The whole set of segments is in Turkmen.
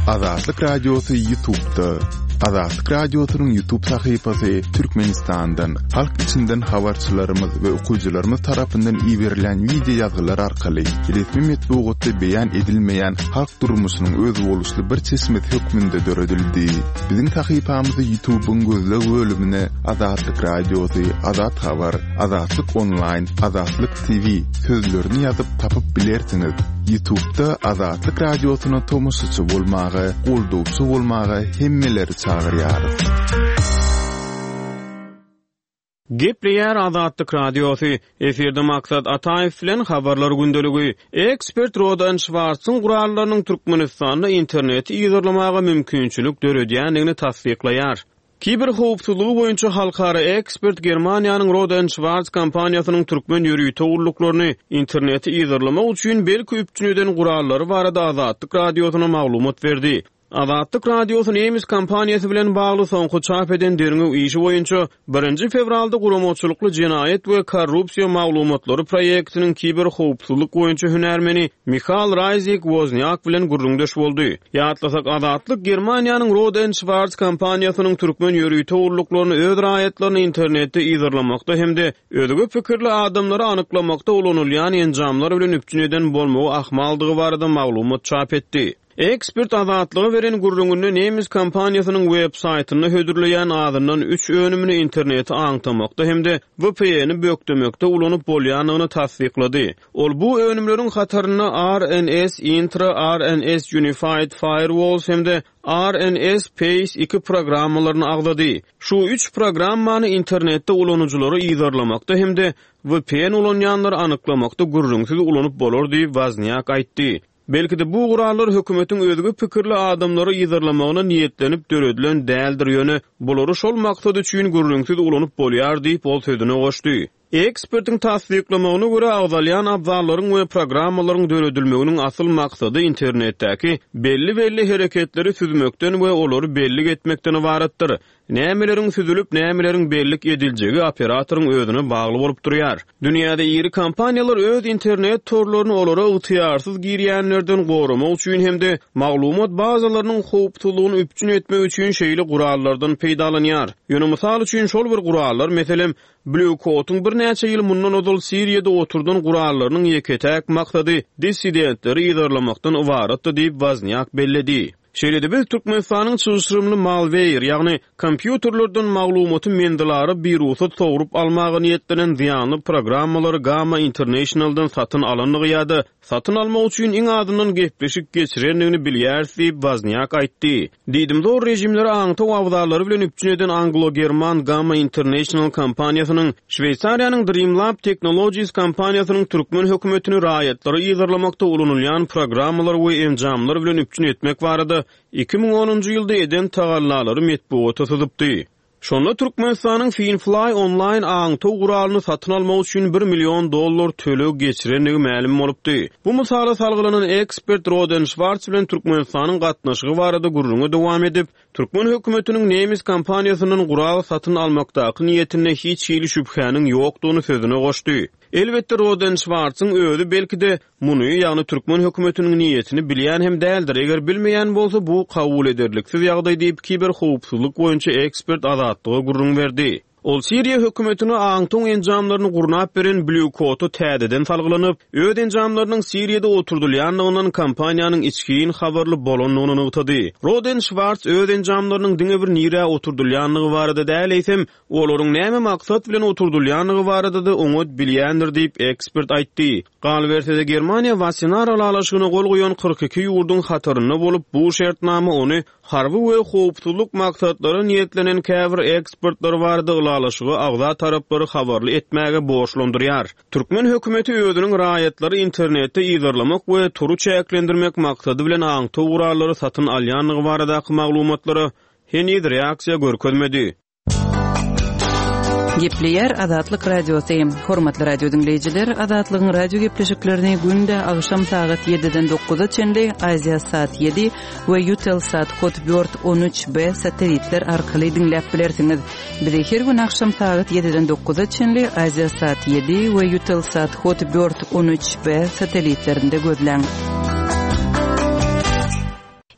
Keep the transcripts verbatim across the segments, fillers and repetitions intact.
Azatlyk Radiosy YouTube'da. Azatlyk Radiosynyň YouTube sahypasy Türkmenistandan, halk içinden habarçylarymyz we okyjylarymyz tarapyndan iberilen wideo ýazgylar arkaly resmi metbugatda beýan edilmeýän halk durmuşynyň özboluşly bir çeşmesi hökmünde döredildi. Biziň sahypamyzy YouTube'yň gözleg bölümine Azatlyk Radiosy, Azat Habar, Azatlyk Online, Azatlyk T V sözlerini ýazyp tapyp bilersiňiz. YouTube'da Azatlyk Radiosyna tomaşaçy bolmaga, goldawçy bolmaga hemmeleri çagyrýarys. Gepleýär Azatlyk Radiosy. Efirde Maksat Ataýew bilen habarlar gündeligi. Ekspert Rohde and Schwarz-yň gurallarynyň Türkmenistanda interneti yzarlamaga mümkinçilik döredýändigini tassyklaýar. Kiber howpsuzlygy boýunça halkara ekspert Germaniýanyň Rohde and Schwarz kompaniýasynyň türkmen ýörite gulluklaryny interneti yzarlamak üçin belki üpjün eden gurallary barada Azatlyk Radiosyna maglumat berdi. Azatlyk Radiosy nemes kompaniýasy bilen bagly soňky çap eden derňew işi boýunça birinji fewralda guramaçylykly jenaýat we korrupsiýa maglumatlary proýektiniň kiber howpsuzlyk boýunça hünärmeni Mihal Raýzik Woznyak bilen gürrüňdeş boldy. Ýatlasak, Azatlyk Germaniýanyň Rohde and Schwarz kompaniýasynyň türkmen ýörite gulluklaryny öz raýatlaryny internetde yzarlamakda hem-de özge pikirli adamlary anyklamakda ulanylýan enjamlar bilen üpjün eden bolmagy ahmaldygy barada maglumat çap etdi. Ekspert Azatlyga beren gürrüňinde nemes kompaniýasynyň web saýtynda hödürleýän azyndan üç önümini interneti aňtamakda hem-de V P N-i bökdemekde ulanyp bolýandygyny tassyklady. Ol bu önümleriň hatarynda R N S Intra, R N S Unified Firewalls hem-de R N S Pace iki programmalaryny agzady. Şu üç programmany internetde ulanyjylary yzarlamakda hem-de V P N ulanýanlary anyklamakda gürrüňsiz ulanyp bolar diýip Woznyak aýtdy. Belki-de bu gurallar hökümetiň özge pikirli adamlary yzarlamagyna niýetlenip döredilen däldir, ýöne bulary şol maksat üçin gürrüňsiz ulanyp bolýar diýip ol sözüne goşdy. Ekspertiň tassyklamagyna görä, agzalýan abzallaryň we programmalaryň döredilmeginiň asyl maksady internetdäki belli-belli hereketleri süzmekden we olary bellik etmekden ybaratdyr. Nämeleriň süzülip, nämeleriň bellik ediljegi operatoryň özüne bagly bolup durýar. Dünýäde iri kompaniýalar öz internet torlaryny olara ygtyýarsyz girýänlerden goramak üçin hem-de maglumat bazalarynyň howpsuzlygyny üpjün etmek üçin şeýle gurallardan peýdalanýar. Ýöne mysal üçin şol bir gurallar, meselem, Blue Coat'uň birnäçe ýyl mundan ozal Siriýada oturdan gurallarynyň ýeke-täk maksady dissidentleri yzarlamakdan ybaratdy diýip Woznyak belledi. Şeýle-de biz Türkmenistanyň çylşyrymly malware, ýagny kompýuterlerden maglumaty menzilara birugsat sogrup almaga niýetlenen zyýanly programmalary Gamma Internationaldan satyn alandygy ýa-da satyn almak üçin iň azyndan gepleşik geçirendigini bilýäris diýip Woznyak aýtdy. Diýdimzor režimleri aňtaw abzallary bilen üpjün eden Anglo-German Gamma International kompaniýasynyň Şweýsariýanyň Dreamlab Technologies kompaniýasynyň türkmen hökümetini raýatlary yzarlamakda ulanylýan programmalar we enjamlar bilen üpjün etmek barada iki müň onunjy ýylda eden tagallalary metbugata syzypdy. Şonda Türkmenistanyň Finfly onlaýn aňtaw guralyny satyn almak üçin bir million dollar töleg geçirendigi mälim bolupdy. Bu mysala salgylanan ekspert Rohde and Schwarz bilen Türkmenistanyň gatnaşygy barada gürrüňe dowam edip, türkmen hökümetiniň nemes kompaniýasyndan gural satyn almakdaky niýetinde hiç hili şübhäniň ýokdugyny sözüne goşdy. Elbetde Rohde and Schwarz-yň özi belki-de muny, ýagny türkmen hökümetiniň niýetini bilýän hem däldir. Eger bilmeýän bolsa, bu kabul ederliksiz ýagdaý diýip kiber howpsuzlyk boýunça ekspert Azatlyga gürrüň berdi. Ol Siriýa hökümetine aňtaw enjamlaryny gurnap beren Blue Coat-a täzeden salgylanyp, öz enjamlarynyň Siriýada oturdylýandygyndan kompaniýanyň içgin habarly bolandygyny nygtady. Rohde and Schwarz öz enjamlarynyň diňe bir nirä oturdylýandygy barada däl, eýsem, olaryň näme maksat bilen oturdylýandygy barada-da oňat bilýändir diýip ekspert aýtdy. Galyberse-de Germaniýa Wassenaar ylalaşygyna gol goýan kyrk iki ýurduň hatarynda bolup, bu şertnama ony harby we howpsuzlyk maksatlara niýetlenen käbir eksportlar barada ylalaşyga agza taraplary habarly etmäge borçlandyrýar. Türkmen hökümeti özüniň raýatlary internetde yzarlamak we tory çäklendirmek maksady bilen aňtaw gurallary satyn alýandygy baradaky maglumatlara heniz reaksiýa görkezmedi. Gepleýär Azatlyk Radiosy. Hormatly radio diňleýjiler, Azatlygyň radio gepleşiklerini günde agşam sagat ýediden dokuza çenli Aziýa Sat ýedi we Eutelsat Hotbird on üç B satellitler arkaly diňläp bilersiňiz. Bizi her gün agşam sagat ýediden dokuza çenli Aziýa Sat ýedi we Eutelsat Hotbird on üç B satellitlerinde gözläň.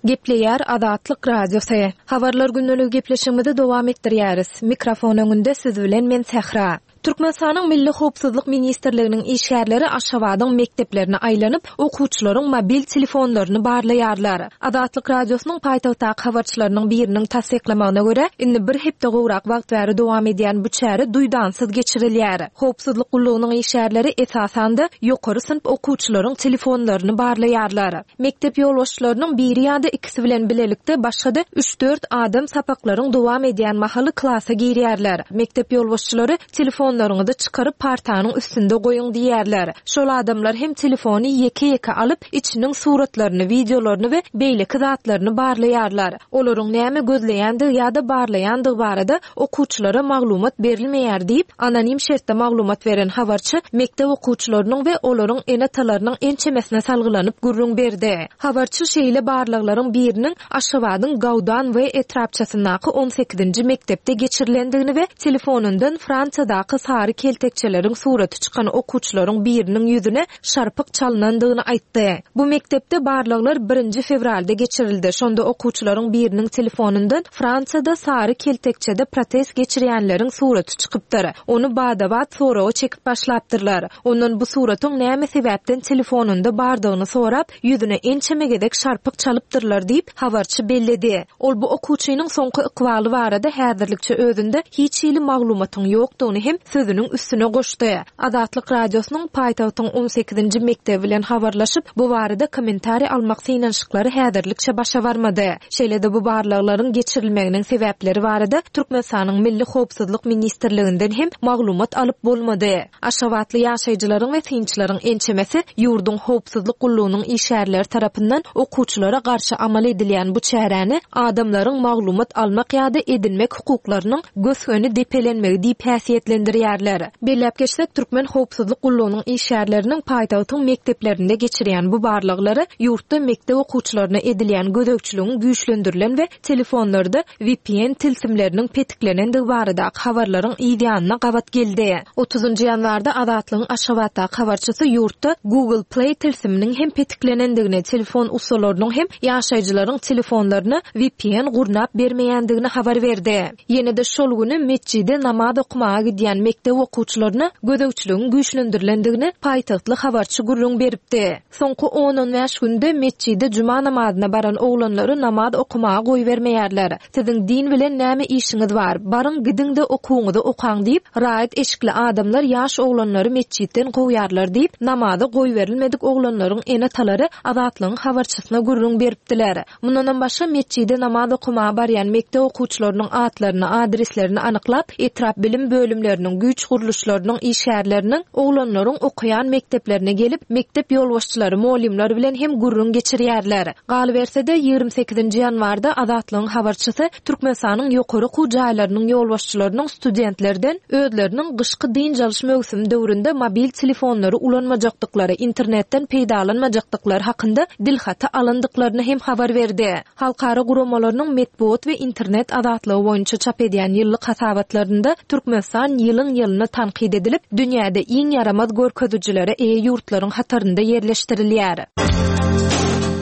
Gepleýär Azatlyk Radiosy. Habarlar gündeligi gepleşigimizi dowam etdirýäris. Mikrofon öňünde siz bilen men Sähra. Türkmenistanyň Milli howpsuzlyk ministrliginiň işgärleri Aşgabadyň mekdeplerine aýlanyp, okuwçylaryň mobil telefonlaryny barlaýarlar. Azatlyk Radiosynyň paýtagtdaky habarçylarynyň biriniň tassyklamagyna görä, indi bir hepde gowrak wagt bäri dowam edýän bu çäre duýdansyz geçirilýär. Howpsuzlyk gullugynyň işgärleri esasan-da ýokary synp okuwçylaryň telefonlaryny barlaýarlar. Mekdep ýolbaşçylarynyň biri ýa-da ikisi bilen bilelikde başga-da üç-dört adam sapaklaryň dowam edýän mahaly klasa girýärler. Mekdep ýolbaşçylary telefonlaryňyzy çykaryp partanyň üstünde goýuň diýýärler. Şol adamlar hem telefony ýeke-ýeke alyp, içiniň suratlaryny, wideolaryny we beýleki zatlaryny barlaýarlar. Olaryň näme gözleýändigi ýa-da barlaýandygy barada okuwçylara maglumat berilmeýär diýip, anonim şertde maglumat beren habarçy mekdep okuwçylarynyň we olaryň ene-atalarynyň ençemesine salgylanyp gürrüň berdi. Habarçy şeýle barlaglaryň biriniň Aşgabadyň Gaudan we etrapçasyndaky on sekizinji mekdepde geçirilendigini we telefonyndan Fransiýadaky sary keltekçeleriň suraty çykan okuwçylaryň biriniň ýüzüne şarpyk çalynandygyny aýtdy. Bu mekdepde barlaglar birinji fewralda geçirildi. Şonda okuwçylaryň biriniň telefonyndan Fransiýada sary keltekçede protest geçirýänleriň suraty çykypdyr. Ony badabat soraga çekip başlapdyrlar. Ondan bu suratyň näme sebäpden telefonynda bardygyny sorap, ýüzüne ençeme gezek şarpyk çalypdyrlar diýip habarçy belledi. Ol bu okuwçynyň soňky ykbaly barada häzirlikçe özünde hiç hili maglumatyň ýokdugyny hem sözüniň üstüne goşdy. Azatlyk Radiosynyň paýtagtyň on sekizinji mekdebi bilen habarlaşyp, bu barada kommentariý almak synanyşyklary häzirlikçe başa barmady. Şeýle-de bu barlaglaryň geçirilmeginiň sebäpleri barada Türkmenistanyň Milli Howpsuzlyk Ministrliginden hem maglumat alyp bolmady. Aşgabatly ýaşaýjylaryň we synçylaryň ençemesi ýurduň howpsuzlyk gullugynyň işgärleri tarapyndan okuwçylara garşy amal edilýän bu çäräni adamlaryň maglumat almak ýa-da edinmek hukuklarynyň gös-göni depelenmegi diýip häsiýetlendirýärler. Belläp geçsek, Türkmen howpsuzlyk gullugynyň işgärleriniň paýtagtyň mekdeplerinde geçirýän bu barlaglary ýurtda mekdep okuwçylaryna edilýän gözegçiligiň güýçlendirilen we telefonlarda V P N tilsimleriniň petiklenendigi baradaky habarlaryň yz ýanyna gabat geldi. Otuzynjy ýanwarda Azatlygyň Aşgabatdaky habarçysy ýurtda Google Play tilsiminiň hem petiklenendigini, telefon ussalarynyň hem ýaşaýjylaryň telefonlaryna V P N gurnap bermeýändigini habar berdi. Ýene-de şol güni metjide namaz okamaga gidýän mekdep okuwçylaryna gözegçiligiň güýçlendirilendigini paýtagtly habarçy gürrüň beripdi. Soňky on-on bäş günde metjide juma namazyna baran oglanlary namaz okamaga goýbermeýärler. Siziň din bilen näme işiňiz bar? Baryň gidiň-de okuwyňyzy okaň diýip, raýat eşikli adamlar ýaş oglanlary metjitden kowýarlar diýip, namaza goýberilmedik oglanlaryň ene-atalary Azatlygyň habarçysyna gürrüň beripdiler. Mundanam başga metjide namaz okamaga barýan mekdep okuwçylarynyň atlaryny, adreslerini anyklap, etrap bilim bölümleriniň, güýç gurluşlarynyň işgärleriniň oglanlaryň okaýan mekdeplerine gelip, mekdep ýolbaşçylary, mugallymlar bilen hem gürrüň geçirýärler. Galyberse-de ýigrimi sekizinji ýanwarda Azatlygyň habarçysy Türkmenistanyň ýokary okuw jaýlarynyň ýolbaşçylarynyň studentlerden özleriniň gyşky dynç alyş möwsümi döwründe mobil telefonlary ulanmajakdyklary, internetden peýdalanmajakdyklary hakynda dilhaty alyndyklaryny hem habar berdi. Halkara guramalarynyň metbugat we internet azatlygy boýunça çap edýän ýyllyk hasabatlarynda Türkmenistan ýylyň ýylyna tankyt edilip, dünýäde iň ýaramaz görkezijilere eýe ýurtlaryň hatarynda ýerleşdirilýär.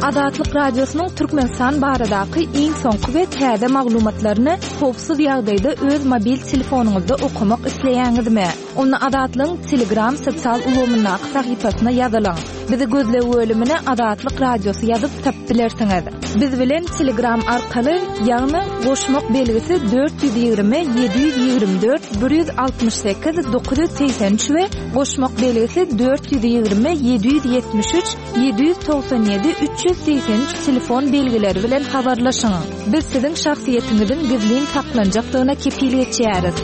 Azatlyk Radiosynyň Türkmenistan baradaky iň soňky we täze maglumatlaryny howpsuz ýagdaýda öz mobil telefonyňyzda okamak isleýäňizmi? Onda Azatlygyň Telegram sosial ulgamyndaky sahypasyna ýazylyň. Bizi gözleg bölümine Azatlyk Radiosy ýazyp tapyp bilersiňiz. Biz bilen Telegram arkaly, ýagny goşmak belgisi dört ýüz ýigrimi, ýedi ýüz ýigrimi dört, bir ýüz altmyş sekiz, dokuz ýüz segsen üç we goşmak belgisi dört ýüz ýigrimi, ýedi ýüz ýetmiş üç, ýedi ýüz togsan ýedi, üç ýüz segsen üç telefon belgileri bilen habarlaşyň. Biz siziň şahsyýetiňiziň gizlin saklanjakdygyna kepil geçýäris.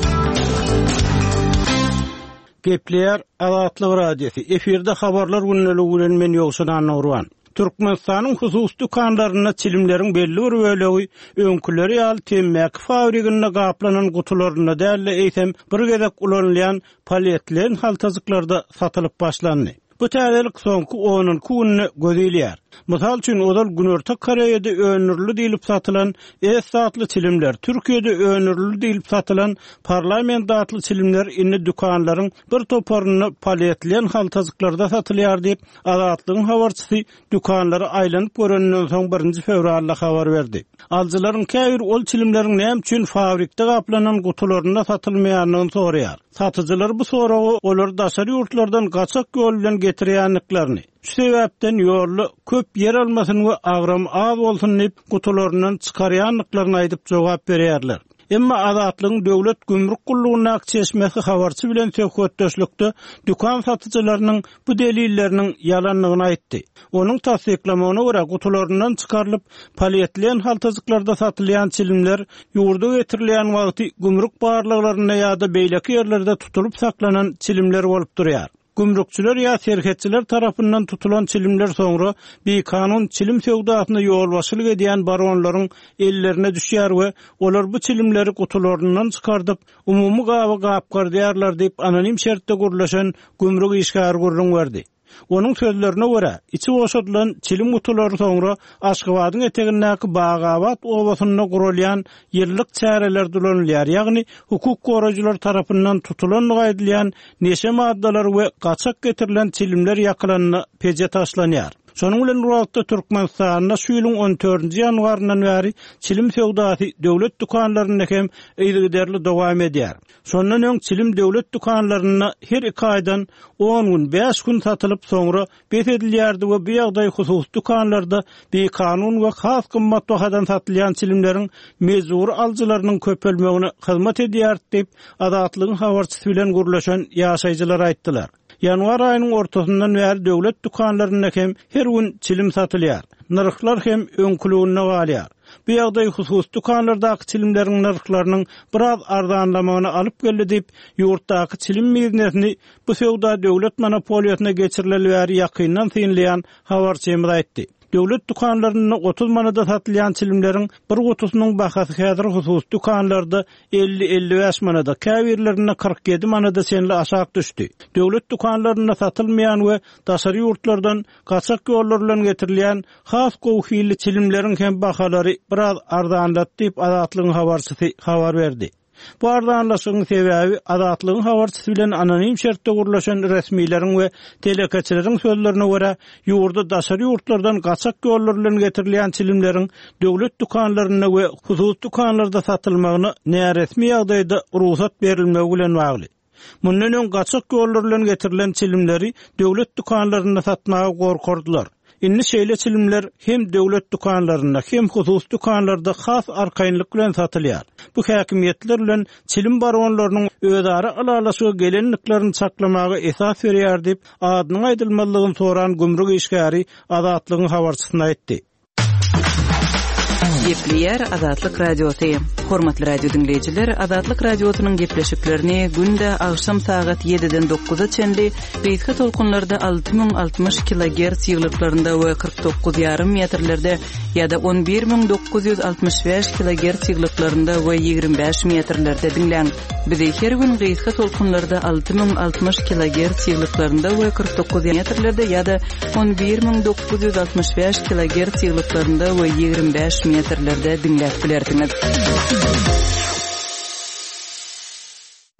Gepleýär Azatlyk Radiosy. Efirde habarlar gündeligi bilen men Ýowşan Annagurban. Türkmenistanyň hususy dükanlarynda çilimleriň belli bir bölegi öňküleri ýaly temmäki fabriginde gaplanan gutularynda däl-de eýsem bir gezek ulanylýan polietilen haltajyklarda satylyp başlandy. Bu täzelik soňky on iki günde göz ilýär. Mysal üçin, ozal Günorta Koreýada öndürildi diýlip satylan S atly çilimler, Türkiýede öndürildi diýlip satylan Parlament atly çilimler indi dükanlaryň bir toparynda polietilen haltajyklarda satylýar diýip, Azatlygyň habarçysy dükanlara aýlanyp görenden soň birinji fewralda habar berdi. Alyjylaryň käbir ol çilimleriň näme üçin fabrikde gaplanan gutularynda satylmaýandygyny soraýar. Satyjylar bu soragy olar daşary ýurtlardan gaçak ýol bilen getirýändiklerini, şu sebäpden ýolda köp ýer almasyn we agram az bolsun diýip gutularyndan çykarýandyklaryny aýdyp jogap berýärler. Emma Azatlygyň döwlet gümrük gullugynyň çeşmesi habarçy bilen söhbetdeşlikde dükan satyjylarynyň bu delilleriniň ýalandygyny aýtdy. Onuň tassyklamagyna görä gutularyndan çykarylyp polietilen haltajyklarda satylýan çilimler ýurda getirilýän wagty gümrük barlaglarynda ýa-da beýleki ýerlerde tutulyp saklanan çilimler bolup durýar. Gümrükçiler ýa serhetçiler tarapyndan tutulan çilimler soňra bikanun çilim söwdasyna ýolbaşçylyk edýän baronlaryň ellerine düşýär we olar bu çilimleri gutularyndan çykardyp umumy gaba gapgardýarlar diýip anonim şertde gurlaşan gümrük işgäri gürrüň berdi. Onuň sözlerine görä, içi boşadylan çilim gutulary soňra Aşgabadyň etegindäki Bagabat obasynda gurulýan ýyllyk çäreler dulanylýar, ýagny hukuk goraýjylar tarapyndan tutulandygy aýdylýan neşe maddalary we gaçak getirilen çilimler ýakylanda peje taşlanýar. Şonuň bilen bir wagtda Türkmenistanda şu ýylyň on dördünji ýanwaryndan bäri çilim söwdasy döwlet dükanlarynda hem yzygiderli dowam edýär. Şondan öň çilim döwlet dükanlarynda her iki aýdan on gün, bäş gün satylyp soňra bes edilýärdi we bu ýagdaý hususy dükanlarda bikanun we has gymmat bahadan satylýan çilimleriň mejbur alyjylarynyň köpelmegine hyzmat edýär diýip Azatlygyň habarçysy bilen gürleşen ýaşaýjylar aýtdylar. Ýanwar aýynyň ortasyndan bäri döwlet dükanlarynda hem her gün çilim satylýar. Nyrhlar hem öňküliginde galýar. Bu ýagdaý hususy dükanlardaky çilimleriň nyrhlarynyň biraz arzanlamagyna alyp geldi diýip, ýurtdaky çilim biznesini bu söwda döwlet monopoliýasyna geçirileli bäri ýakyndan synlaýan habarçymyz aýtdy. Döwlet dükanlarynda otuz manada satylýan çilimleriň bir gutusynyň bahasy häzir hususy dükanlarda elli elli bäş manada, käbirlerinde kyrk ýedi manada çenli aşak düşdi. Döwlet dükanlarynda satylmaýan we daşary ýurtlardan gaçak ýollar bilen getirilýän has gowy hilli çilimleriň hem bahalary biraz arzanlatdy diýip Azatlygyň habarçysy habar berdi. Bu arzanlaşygyň sebäbi Azatlygyň habarçysy bilen anonim şertde gurlaşan resmileriň we telekeçileriň sözlerine görä ýurda daşary ýurtlardan gaçak ýollar bilen getirilýän çilimleriň döwlet dükanlarynda we hususy dükanlarda satylmagyna näresmi ýagdaýda rugsat berilmegi bilen bagly. Mundan öň gaçak ýollar bilen getirilen çilimleri döwlet dükanlarynda satmaga gorkardylar. Indi şeýle çilimler hem döwlet dükanlarynda hem hususy dükanlarda has arkaýynlyk bilen satylýar. Bu häkimiýetler bilen çilim baronlarynyň özara ylalaşyga gelenliklerini çaklamaga esas berýär diýip, adynyň aýdylmalygyny soran gümrük işgäri Azatlygyň habarçysyna aýtdy. Gepleýär Azatlyk Radiosy. Hormatly radio diňleýjiler, Azatlyk Radiosynyň gepleşiklerini günde agşam sagat ýediden dokuza çenli gysga tolkunlarda alty müň altmyş kilogertz ýyglyklarynda we kyrk dokuz ýarym metrlerde ýa-da on bir müň dokuz ýüz altmyş bäş kilogertz ýyglyklarynda we ýigrimi bäş metrlerde diňläň. Bizi her gün gysga tolkunlarda alty müň altmyş kilogertz ýyglyklarynda we kyrk dokuz metrlerde ýa-da on bir müň dokuz ýüz altmyş bäş kilogertz ýyglyklarynda we ýigrimi bäş metrlerde diňläp bilersiňiz.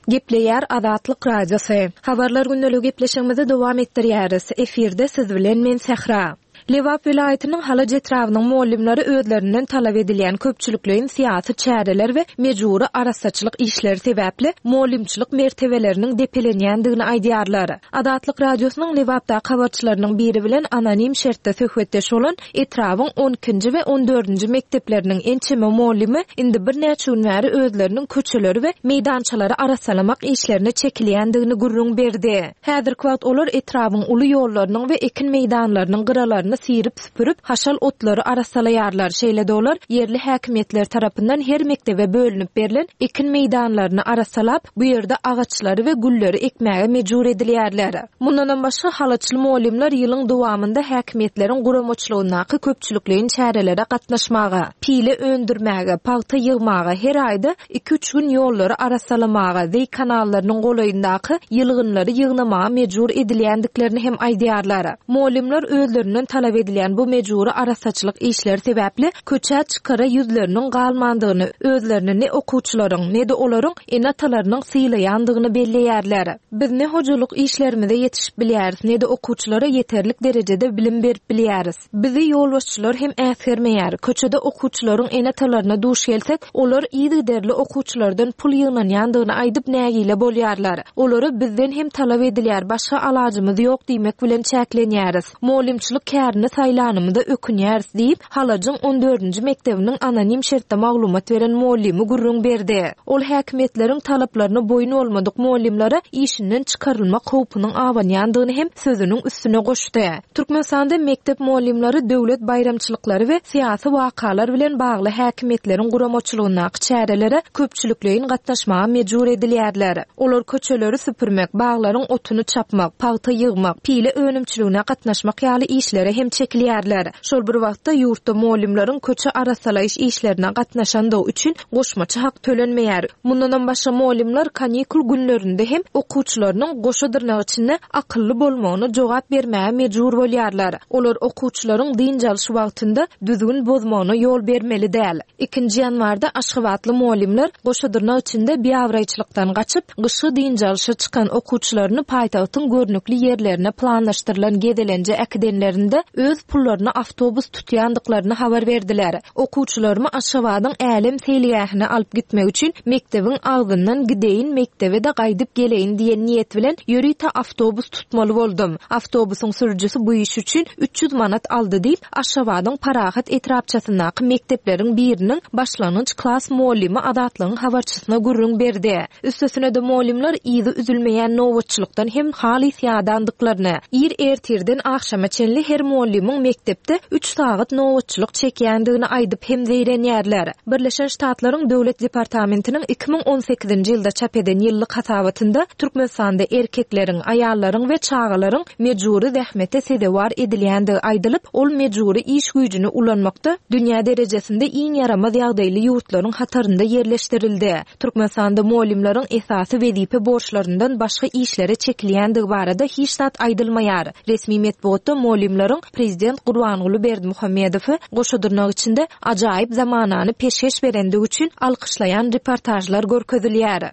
Gepleýär Azatlyk Radiosy. Habarlar gündeligi gepleşigimizi dowam etdirýäris. Efirde siz bilen men Sähra. Lebap welaýatynyň Halaç etrabynyň muallimleri özlerinden talap edilýän köpçülikleýin syýasy çäreler we mejbury arassaçylyk işleri sebäpli muallimçilik mertebeleriniň depelenýändigini aýdýarlar. Azatlyk Radiosynyň Lebapdaky habarçylarynyň biri bilen anonim şertde söhbetdeş bolan etrabyň on ikinji we on dördünji mekdepleriniň ençeme muallimi indi birnäçe gün bäri özleriniň köçeleri we meýdançalary arassalamak işlerine çekilýändigini gürrüň berdi. Häzirki wagt olar etrabyň uly ýollarynyň we ekin meýdanlarynyň gyralaryny syryp-süpürip, haşal otlary arassalaýarlar. Şeýle-de olar ýerli häkimiýetler tarapyndan her mekdebe bölünip berlen ekin meýdanlaryny arassalap, bu ýerde agaçlary we gülleri ekmäge mejbur edilýärler. Mundanam başga, halaçly mugallymlar ýylyň dowamynda häkimiýetleriň guramaçylygyndaky köpçülikleýin çärelere gatnaşmaga, pile öndürmäge, pagta ýygmaga, her aýda iki-üç gün ýollary arassalamaga, zeý kanallarynyň golaýyndaky ýylgynlary ýygnamaga mejbur edilýändiklerini hem aýdýarlar. Mugallymlar özlerinden talap edilýän bu mejbury arassaçylyk işleri sebäpli köçä çykara ýüzleriniň galmandygyny, özlerini ne okuwçylaryň, ne-de olaryň ene-atalarynyň sylaýandygyny belleýärler. Biz ne hojalyk işlerimize ýetişip bilýäris, ne-de okuwçylara ýeterlik derejede bilim berip bilýäris. Bizi ýolbaşçylar hem äsgermeýär. Köçede okuwçylaryň ene-atalaryna duş gelsek, olar yzygiderli okuwçylardan pul ýygnanýandygyny aýdyp nägile bolýarlar. Olara bizden hem talap edilýär, başga alajymyz ýok diýmek bilen çäklenýäris. Mugallymçylyk kärini saýlanymyza ökünýäris diýip, Halajyň on dördünji mekdebiniň anonim şertde maglumat beren mugallymy gürrüň berdi. Ol häkimiýetleriň talaplaryna boýun bolmadyk mugallymlara işinden çykarylmak howpunyň abanýandygyny hem sözüniň üstüne goşdy. Türkmenistanda mekdep mugallymlary döwlet baýramçylyklary we syýasy wakalar bilen bagly häkimiýetleriň guramaçylygyndaky çärelere köpçülikleýin gatnaşmaga mejbur edilýärler. Olar köçeleri süpürmek, baglaryň otuny çapmak, pagta ýygmak, pile önümçiligine gatnaşmak ýaly işlere hem çekilýärler. Şol bir wagtda ýurtda mugallymlaryň köçe arassalaýyş işlerine gatnaşandygy üçin goşmaça hak tölenmeýär. Mundanam başga mugallymlar kanikul günlerinde hem okuwçylarynyň goşa dyrnak içinde akylly bolmagyna jogap bermäge mejbur bolýarlar. Olar okuwçylaryň dynç alyş wagtynda düzgün bozmagyna ýol bermeli däl. Ikinji ýanwarda aşgabatly mugallymlar goşa dyrnak içinde biabraýçylykdan gaçyp, gyşky dynç alyşa çykan okuwçylaryny paýtagtyň görnükli ýerlerine planlaşdyrylan gezelenje äkidenlerinde öz pullaryna awtobus tutýandyklaryny habar berdiler. Okuwçylarymy Aşgabadyň älem seýilgähine alyp gitmek üçin mekdebiň agzyndan gideýin, mekdebe-de gaýdyp geleýin diýen niýet bilen ýörite awtobus tutmaly boldum. Awtobusyň sürüjisi bu iş üçin üç ýüz manat aldy diýip, Aşgabadyň Parahat etrapçasyndaky mekdepleriň biriniň başlangyç klas mugallymy Azatlygyň habarçysyna gürrüň berdi. Üstesine-de mugallymlar yzy üzülmeýän nobatçylykdan hem halys ýadandyklaryny, ir ertirden agşama çenli her mugallymyň mekdepde üç sagat nobatçylyk çekýändigini aýdyp hem zeýrenýärler. Birleşen Ştatlaryň Döwlet departamentiniň iki müň on sekizinji ýylda çap eden ýyllyk hasabatynda Türkmenistanda erkekleriň, aýallaryň we çagalaryň mejbury zähmete sezewar edilýändigi aýdylyp, ol mejbury iş güýjüni ulanmakda dünýä derejesinde iň ýaramaz ýagdaýly ýurtlaryň hatarynda ýerleşdirildi. Türkmenistanda mugallymlaryň esasy wezipe borçlaryndan başga işlere çekilýändigi barada hiç zat aýdylmaýar. Resmi metbugatda mugallymlaryň Prezident Gurbanguly Berdimuhamedowy goşa dyrnak içinde ajaýyp zamanany peşgeş berendigi üçin alkyşlaýan reportažlar görkezilýär.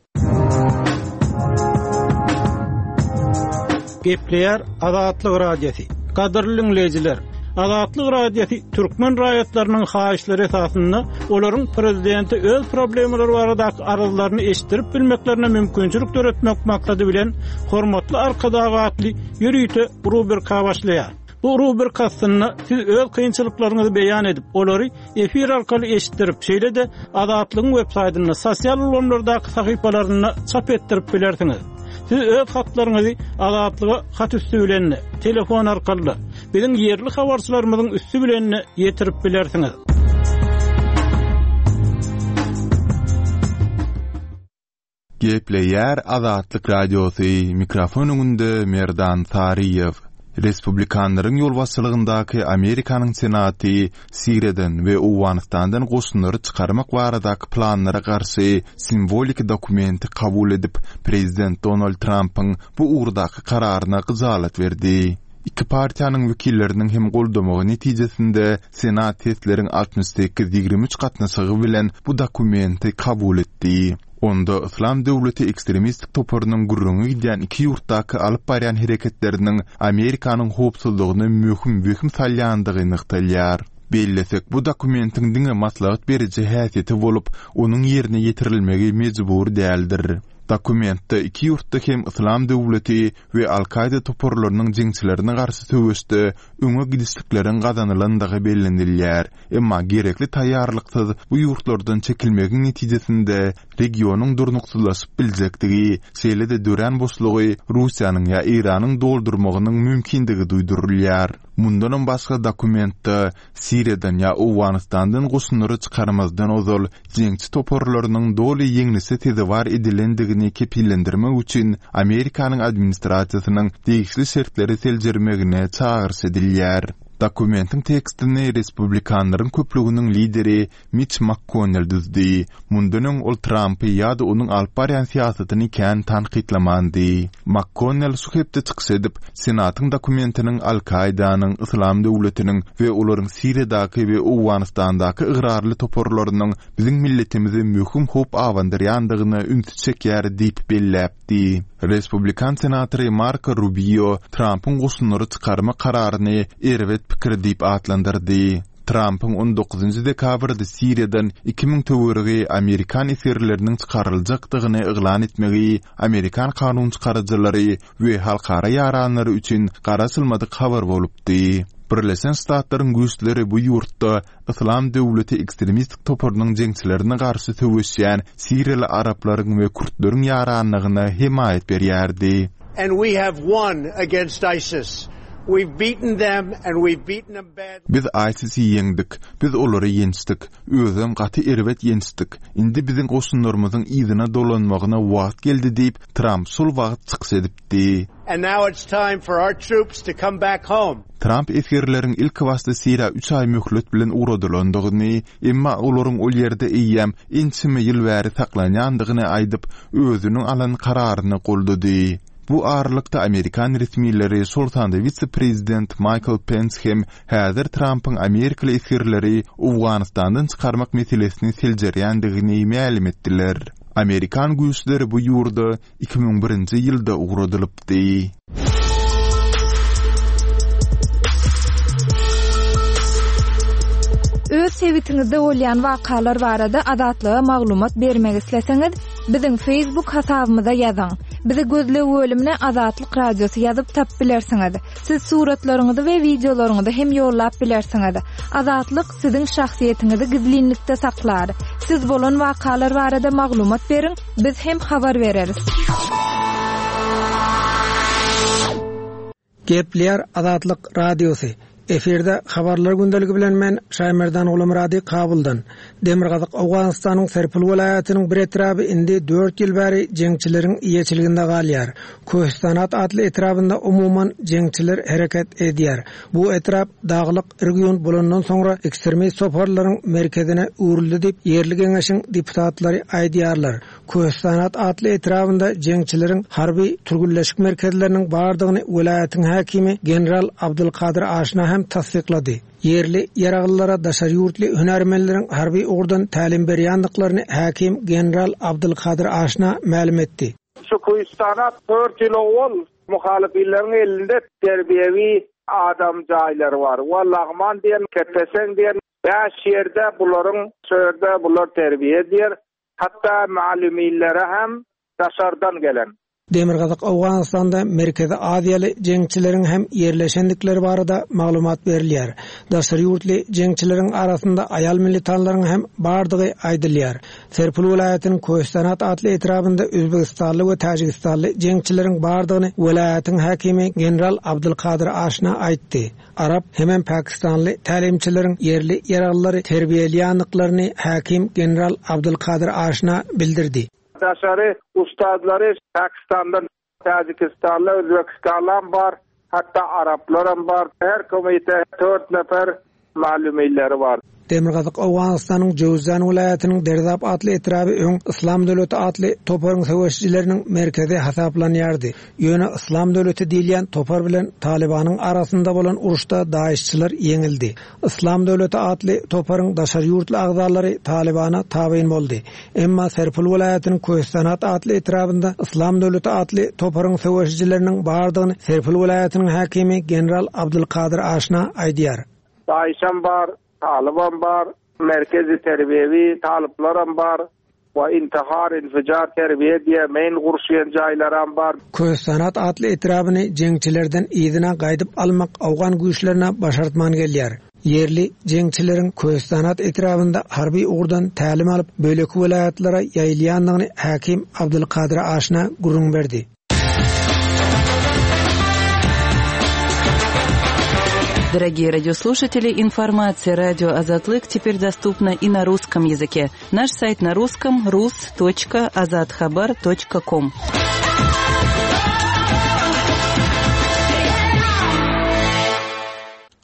Gepleýär Azatlyk Radiosy. Gadyrly dinleýjiler, Azatlyk Radiosy türkmen raýatlarynyň haýyşlary esasynda olaryň prezidente öz problemalary baradaky arzlaryny eşitdirip bilmeklerine mümkinçilik döretmek maksady bilen Hormatly Arkadag atly ýörite rubrika başlaýar. Bu rubrika aslynda siz öz kynçylyklaryňyzy beýan edip, olary efir arkaly eşitdirip, şeýle-de Azatlygyň web saýtynda, sosial ulgamlardaky sahypalarynda çap etdirip bilersiňiz. Siz öz hatlaryňyzy Azatlyga hat üstü bilen, telefon arkaly, biziň ýerli habarçylarymyzyň üstü bilen ýetirip bilersiňiz. Gepleýär Azatlyk Radiosy, mikrofon öňünde Merdan Saryýew. Respublikanlaryň ýolbaşçylygyndaky Amerikanyň Senaty Siriýadan we Owganystandan goşunlary çykarmak baradaky planlara garşy simwolik dokumenti kabul edip, prezident Donald Trampyň bu ugurdaky kararyna gyjalat berdi. Iki partiýanyň wekilleriniň hem goldamagy netijesinde Senat sesleriň altmyş sekiz ýigrimi üç gatnaşygy bilen bu dokumenti kabul etdi. Onda Yslam döwleti ekstremistik toparynyň gürrüňi gidýän iki ýurtdaky alyp barýan hereketleriniň Amerikanyň howpsuzlygyna möhüm wehim salýandygy nygtalýar. Bellesek, bu dokumentiň diňe maslahat beriji häsiýeti bolup, onuň ýerine ýetirilmegi mejbur däldir. Dokumentde iki ýurtda hem Yslam döwleti we Al-Kaida toparlarynyň jeňçilerine garşy söweşde öňe gidişlikleriň gazanylandygy bellenilýär. Emma gerekli taýýarlyksyz bu ýurtlardan çekilmegiň netijesinde regionyň durnuksyzlaşyp biljekdigi, şeýle-de dörän boşlugy Russiýanyň ýa Eýranyň doldurmagynyň mümkindigi duýdurylýar. Mundanam başga dokumentde Siriýadan ýa Owganystandan goşunlary çykarmazdan ozal jeňçi toparlarynyň doly ýeňlişe sezewar edilendigini kepillendirmek üçin Amerikanyň administrasiýasynyň degişli şertleri seljermegine çagyryş edilýär. Dokumentiň tekstini Respublikanlaryň köplüginiň lideri Mitch McConnell düzdi. Mundan öň ol Trumpy ýa-da onuň alyp barýan syýasatyny kän tankytlamandy. McConnell şu hepde çykyş edip, Senatyň dokumentiniň Al-Kaidanyň, Yslam döwletiniň we olaryň Siriýadaky we Owganystandaky ygrarly toparlarynyň biziň milletimize möhüm howp abandyrýandygyna ünsi çekýär diýip belläpdi. Respublikan senatory Marco Rubio Trumpyň goşunlary çykarmak kararyny erbet pikir diýip atlandyrdy. Trumpyň on dokuzynjy dekabrda Siriýadan iki müň töweregi amerikan esgerleriniň çykaryljakdygyny yglan etmegi amerikan kanun çykaryjylary we halkara ýaranlary üçin garaşylmadyk habar bolupdy. Birleşen Ştatlaryň güýçleri bu ýurtda Yslam döwleti ekstremistik toparynyň jeňçilerine garşy söweşýän siriýaly araplaryň we kürtleriň ýaranlygyna hemaýat berýärdi. And we have won against ISIS. We've beaten them and we've beaten them badly. Biz ISIS-i ýeňdik. Biz olary ýençdik. Özem gaty erbet ýençdik. Indi biziň goşunlarymyzyň yzyna dolanmagyna wagt geldi diýip, Trump şol wagt çykyş edipdi. And now it's time for our troops to come back home. Trump esgerleriň ilki başda Siriýa üç aý möhlet bilen ugradylandygyny, emma olaryň ol ýerde eýýäm ençeme ýyl bäri saklanýandygyny aýdyp, özüniň alan kararyny goldady. Bu aralykda amerikan resmileri, şol sanda wise-prezident Michael Pence hem häzir Trumpyň amerikaly esgerleri Owganystandan çykarmak meselesini seljerýändigini mälim etdiler. Amerikan güýçleri bu ýurda iki müň birinji ýylda ugradylypdy. Öz sebitiňizde bolýan wakalar barada Azatlyga maglumat bermek isleseňiz, biziň Facebook hasabymyza ýazyň. Bizi gözleg bölümine Azatlyk Radiosy ýazyp tap bilersiňiz. Siz suratlaryňyzy we wideolaryňyzy hem ýollap bilersiňiz. Azatlyk siziň şahsyýetiňizi gizlinlikde saklar. Siz bolan wakalar barada maglumat beriň, biz hem habar bereris. Gepleýär Azatlyk Radiosy. Efirde habarlar gündeligi bilen men Şaýmerdan Gulamyrady Kabuldan. Demirgazyk Owganystanyň Serpil welaýatynyň bir etraby indi dört ýyl bäri jeňçileriň eýeçiliginde galýar. Köhistanat atly etrabynda umuman jeňçiler hereket edýär. Bu etrap daglyk region bolandan soňra ekstremist toparlaryň merkezine öwrüldi diýip ýerli geňeşiň deputatlary aýdýarlar. Köhistanat atly etrabynda jeňçileriň harby türgünleşik merkezleriniň bardygyny welaýatyň häkimi General Abdulkadir Aşna hem tassyklady. Ýerli ýaraglylara daşary ýurtly hünärmenleriň harby ugurdan tälim berýändiklaryny häkim General Abdulkadir Aşna mälim etdi. Şu Köhistanat dört ýyl owal muhalifleriň elinde terbiýewi adam jaýlary bar. Wa Lagman diýen, Kepesen diýen bäş ýerde bularyň şöýerde bular terbiýe edýär. Hatta ma'lumillere hem daşardan gelen. Demirgazyk Owganystanda Merkezi Aziýaly jeňçileriň hem ýerleşendikleri barada maglumat berilýär. Daşary ýurtly jeňçileriň arasynda aýal militanlaryň hem bardygy aýdylýar. Serpil welaýatynyň Köhistanat atly etrabynda Özbegistanly we Täjigistanly jeňçileriň bardygyny welaýatyň häkimi General Abdulkadir Aşna aýtdy. Arap hemem Pakistanly tälimçileriň ýerli ýaraglyary terbiýeleýändiklaryny häkim General Abdulkadir Aşna bildirdi. Daşary ustadlary Pakistandan, Täjikistanly, Özbekistandan bar, hatta Araplaram bar. Her komite dört nefer malumilleri bar. Demirgazyk Owganystanyň Jöwzan welaýatynyň Derzap atly etraby öň Yslam döwleti atly toparyň söweşçileriniň merkezi hasaplanýardy. Ýöne Yslam döwleti diýilýän topar bilen Talibanyň arasynda bolan uruşda daişçiler ýeňildi. Yslam döwleti atly toparyň daşary ýurtly agzalary Talibana tabyn boldy. Emma Serpil welaýatynyň Köhistanat atly etrabynda Yslam döwleti atly toparyň söweşçileriniň bardygyny Serpil welaýatynyň häkimi General Abdulkadir Aşna aýdýar. Daişam bar, Taliban bar, merkezi terbiýewi talyplaram bar we intihar, infijar terbiýe diýe men gurşaýan jaýlaram bar. Köhistanat atly etrabyny jeňçilerden yzyna gaýdyp almak Awgan güýçlerine başartman gelýär. Ýerli jeňçileriň Köhistanat etrabynda harby ugurdan tälim alyp, bölek welaýatlara ýaýylýandygyny häkim Abdulkadir Aşna gürrüň berdi. Дорогие радиослушатели, информация радио Азатлык теперь доступна и на русском языке. Наш сайт на русском rus.azathabar.com.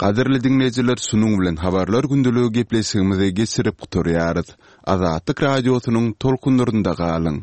Gadyrly diňleýjiler, şunuň bilen habarlar gündeligi gepleşigimizi geçirip gutarýarys. Azatlyk radiosynyň tolkunlarynda galyň.